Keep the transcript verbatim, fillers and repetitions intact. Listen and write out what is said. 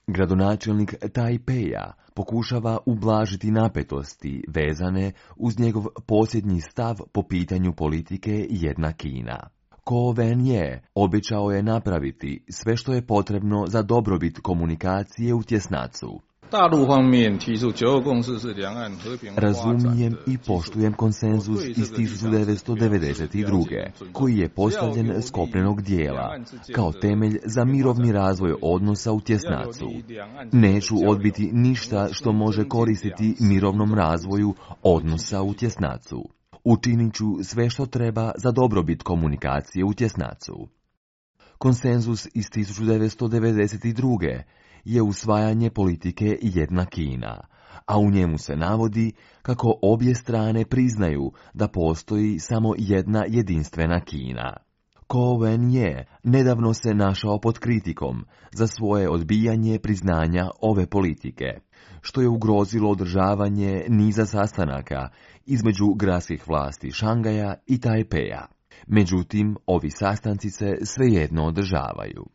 Gradonačelnik Tajpeja pokušava ublažiti napetosti vezane uz njegov posljednji stav po pitanju politike jedna Kina. Ko Wen-je obećao je napraviti sve što je potrebno za dobrobit komunikacije u tjesnacu. Razumijem i poštujem konsenzus iz tisuću devetsto devedeset druge. koji je postavljen s kopnenog dijela kao temelj za mirovni razvoj odnosa u tjesnacu. Neću odbiti ništa što može koristiti mirovnom razvoju odnosa u tjesnacu. Učinit ću sve što treba za dobrobit komunikacije u tjesnacu. Konsenzus iz tisuću devetsto devedeset druge. je usvajanje politike jedna Kina, a u njemu se navodi kako obje strane priznaju da postoji samo jedna jedinstvena Kina. Ko Wen-je nedavno se našao pod kritikom za svoje odbijanje priznanja ove politike, što je ugrozilo održavanje niza sastanaka između gradskih vlasti Šangaja i Tajpeja. Međutim, ovi sastanci se svejedno održavaju.